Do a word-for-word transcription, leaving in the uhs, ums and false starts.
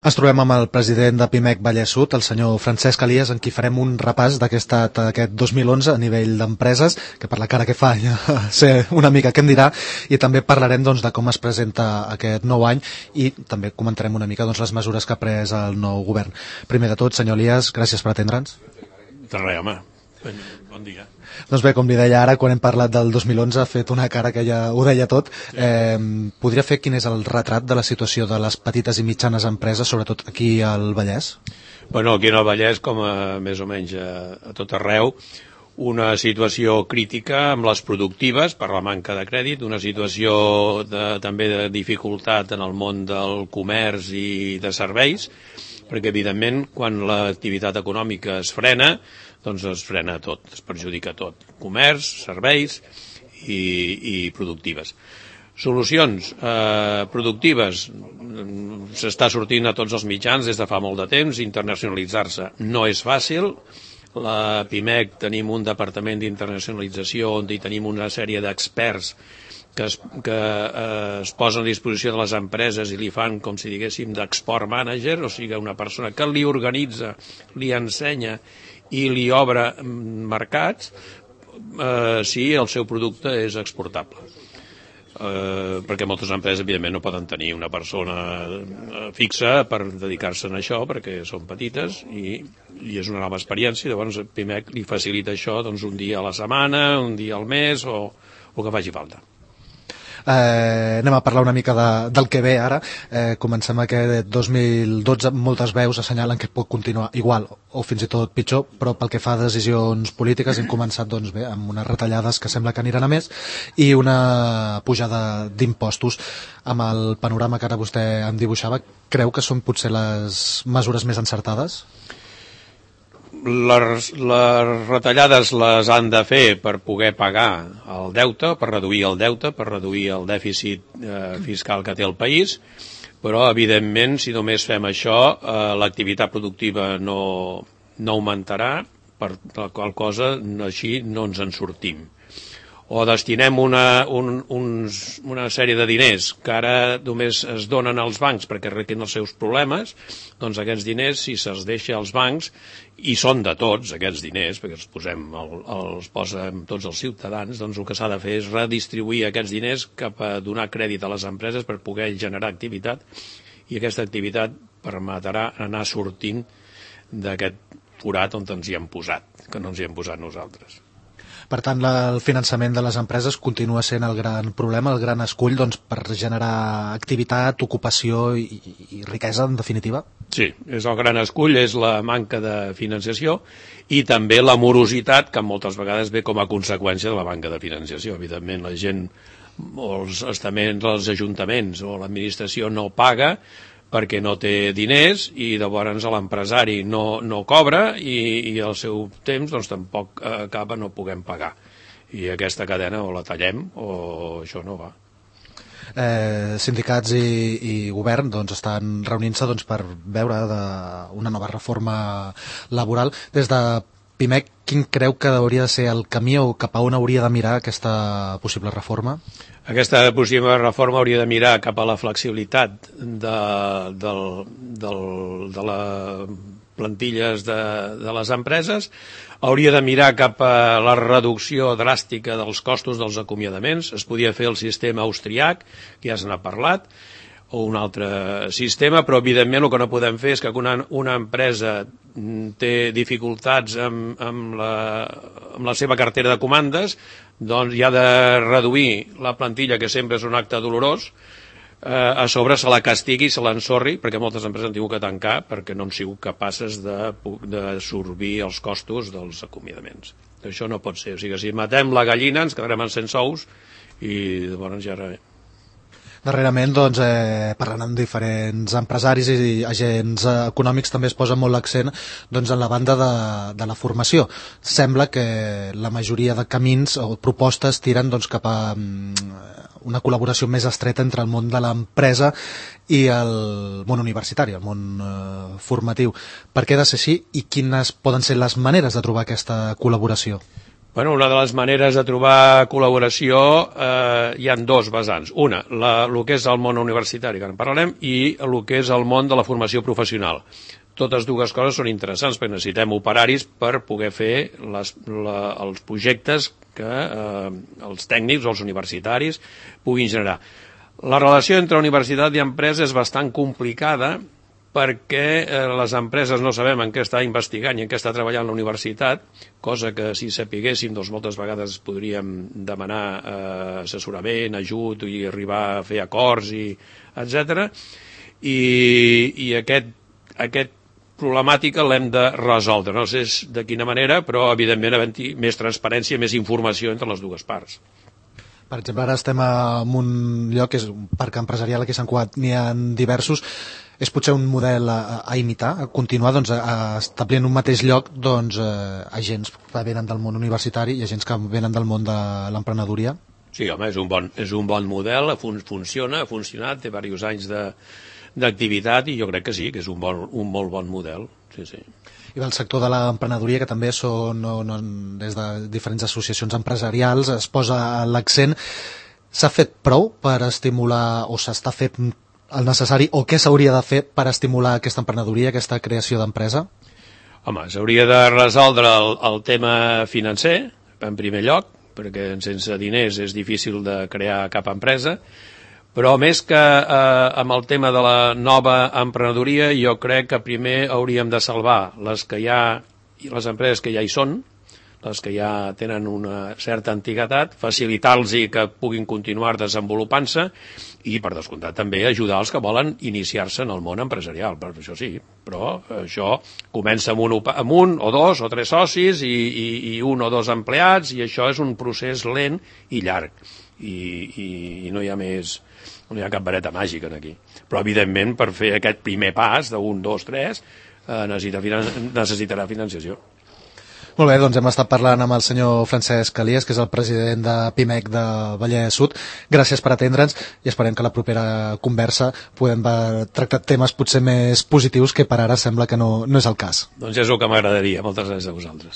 Ens trobem amb el president de Pimec Vallès Sud, el senyor Francesc Elias, en qui farem un repàs d'aquest dos mil onze a nivell d'empreses, que per la cara que fa ja sé una mica què em dirà, i també parlarem doncs, de com es presenta aquest nou any i també comentarem una mica doncs, les mesures que ha pres el nou govern. Primer de tot, senyor Elias, gràcies per atendre'ns. De res, home. Bon dia. Doncs bé, com li deia ara, quan hem parlat del dos mil onze ha fet una cara que ja ho deia tot. Eh, podria fer quin és el retrat de la situació de les petites i mitjanes empreses, sobretot aquí al Vallès? Bueno, aquí al Vallès, com a, més o menys a, a tot arreu, una situació crítica amb les productives per la manca de crèdit, una situació de, també de dificultat en el món del comerç i de serveis, perquè evidentment quan l'activitat econòmica es frena, doncs es frena tot, es perjudica tot, comerç, serveis i, i productives. Solucions eh, productives, s'està sortint a tots els mitjans des de fa molt de temps, internacionalitzar-se no és fàcil. La Pimec tenim un departament d'internacionalització on hi tenim una sèrie d'experts que, es, que eh, es posen a disposició de les empreses i li fan, com si diguéssim, d'export manager, o sigui, una persona que li organitza, li ensenya i li obre mercats eh, si el seu producte és exportable. Eh, perquè moltes empreses, evidentment, no poden tenir una persona fixa per dedicar-se a això, perquè són petites i, i és una nova experiència. Llavors, Pimec li facilita això doncs, un dia a la setmana, un dia al mes o, o que faci falta. Eh, anem a parlar una mica de, del que ve ara. Eh, comencem aquest dos mil dotze, moltes veus assenyalen que pot continuar igual o fins i tot pitjor, però pel que fa a decisions polítiques hem començat doncs, bé, amb unes retallades que sembla que aniran a més i una pujada d'impostos. Amb el panorama que ara vostè em dibuixava, creu que són potser les mesures més encertades? Les, les retallades les han de fer per poder pagar el deute, per reduir el deute, per reduir el dèficit eh, fiscal que té el país, però evidentment si només fem això eh, l'activitat productiva no, no augmentarà, per la qual cosa així no ens en sortim. O destinem una, un, uns, una sèrie de diners que ara només es donen als bancs perquè arreglin els seus problemes, doncs aquests diners, si se'ls deixa als bancs, i són de tots aquests diners, perquè els posem, el, els posem tots els ciutadans, doncs el que s'ha de fer és redistribuir aquests diners cap a donar crèdit a les empreses per poder generar activitat, i aquesta activitat permetrà anar sortint d'aquest forat on ens hi hem posat, que no ens hi hem posat nosaltres. Per tant, la, el finançament de les empreses continua sent el gran problema, el gran escull doncs, per generar activitat, ocupació i, i riquesa, en definitiva? Sí, és el gran escull, és la manca de financiació i també la morositat, que moltes vegades ve com a conseqüència de la manca de financiació. Evidentment, la gent, o els estaments, els ajuntaments o l'administració no paga perquè no té diners i llavors l'empresari no, no cobra i, i al seu temps doncs, tampoc acaba, no puguem pagar. I aquesta cadena o la tallem o això no va. Eh, sindicats i, i govern doncs, estan reunint-se doncs, per veure de una nova reforma laboral. Des de Pimec, quin creu que hauria de ser el camí o cap a on hauria de mirar aquesta possible reforma? Aquesta possible reforma hauria de mirar cap a la flexibilitat de, del, del, de les plantilles de, de les empreses, hauria de mirar cap a la reducció dràstica dels costos dels acomiadaments, es podia fer el sistema austríac, que ja se n'ha parlat, o un altre sistema, però evidentment el que no podem fer és que una, una empresa té dificultats amb, amb, la, amb la seva cartera de comandes, doncs hi ha de reduir la plantilla, que sempre és un acte dolorós, eh, a sobre se la castigui i se l'ensorri, perquè moltes empreses han tingut que tancar perquè no han sigut capaces de, de sorbir els costos dels acomiadaments. Això no pot ser, o sigui, si matem la gallina ens quedarem sense ous i llavors ja era... Darrerament, doncs, eh, parlant amb diferents empresaris i agents econòmics, també es posa molt l'accent doncs, en la banda de, de la formació. Sembla que la majoria de camins o propostes tiren doncs, cap a um, una col·laboració més estreta entre el món de l'empresa i el món universitari, el món eh, formatiu. Per què ha de ser així i quines poden ser les maneres de trobar aquesta col·laboració? Bueno, una de les maneres de trobar col·laboració eh, hi ha dos vessants. Una, la, el que és el món universitari, que en parlarem, i el que és el món de la formació professional. Totes dues coses són interessants perquè necessitem operaris per poder fer les, la, els projectes que eh, els tècnics o els universitaris puguin generar. La relació entre universitat i empresa és bastant complicada perquè eh, les empreses no sabem en què està investigant i en què està treballant la universitat, cosa que si sapiguéssim doncs moltes vegades podríem demanar eh, assessorament, ajut i arribar a fer acords, i etcètera. I, i aquest, aquest problemàtica l'hem de resoldre. No sé de quina manera, però evidentment havent-hi més transparència, més informació entre les dues parts. Per exemple, ara estem en un lloc, que és un parc empresarial, aquí a Sant Cugat n'hi ha diversos. És potser un model a, a imitar, a continuar doncs, a, a establir en un mateix lloc doncs, eh, agents que venen del món universitari i agents que venen del món de l'emprenedoria? Sí, home, és un bon, és un bon model, fun, funciona, ha funcionat, té diversos anys de, d'activitat i jo crec que sí, que és un, bon, un molt bon model. Sí, sí. I del sector de l'emprenedoria, que també són no, no, des de diferents associacions empresarials, es posa l'accent. S'ha fet prou per estimular, o s'està fent el necessari, o què s'hauria de fer per estimular aquesta emprenedoria, aquesta creació d'empresa? Home, s'hauria de resoldre el, el tema financer, en primer lloc, perquè sense diners és difícil de crear cap empresa, però més que eh, amb el tema de la nova emprenedoria, jo crec que primer hauríem de salvar les que hi ha, i les empreses que ja hi són, les que ja tenen una certa antiguitat, facilitar-los que puguin continuar desenvolupant-se i, per descomptat, també ajudar els que volen iniciar-se en el món empresarial. Per això sí, però això comença amb un, amb un o dos o tres socis i, i, i un o dos empleats, i això és un procés lent i llarg. I, i, i no hi ha més, no hi ha cap vareta màgica aquí. Però, evidentment, per fer aquest primer pas d'un, dos, tres, eh, necessita, necessitarà financiació. Molt bé, doncs hem estat parlant amb el senyor Francesc Elias, que és el president de Pimec de Vallès Sud. Gràcies per atendre'ns i esperem que a la propera conversa podem tractar temes potser més positius, que per ara sembla que no, no és el cas. Doncs és el que m'agradaria. Moltes gràcies a vosaltres.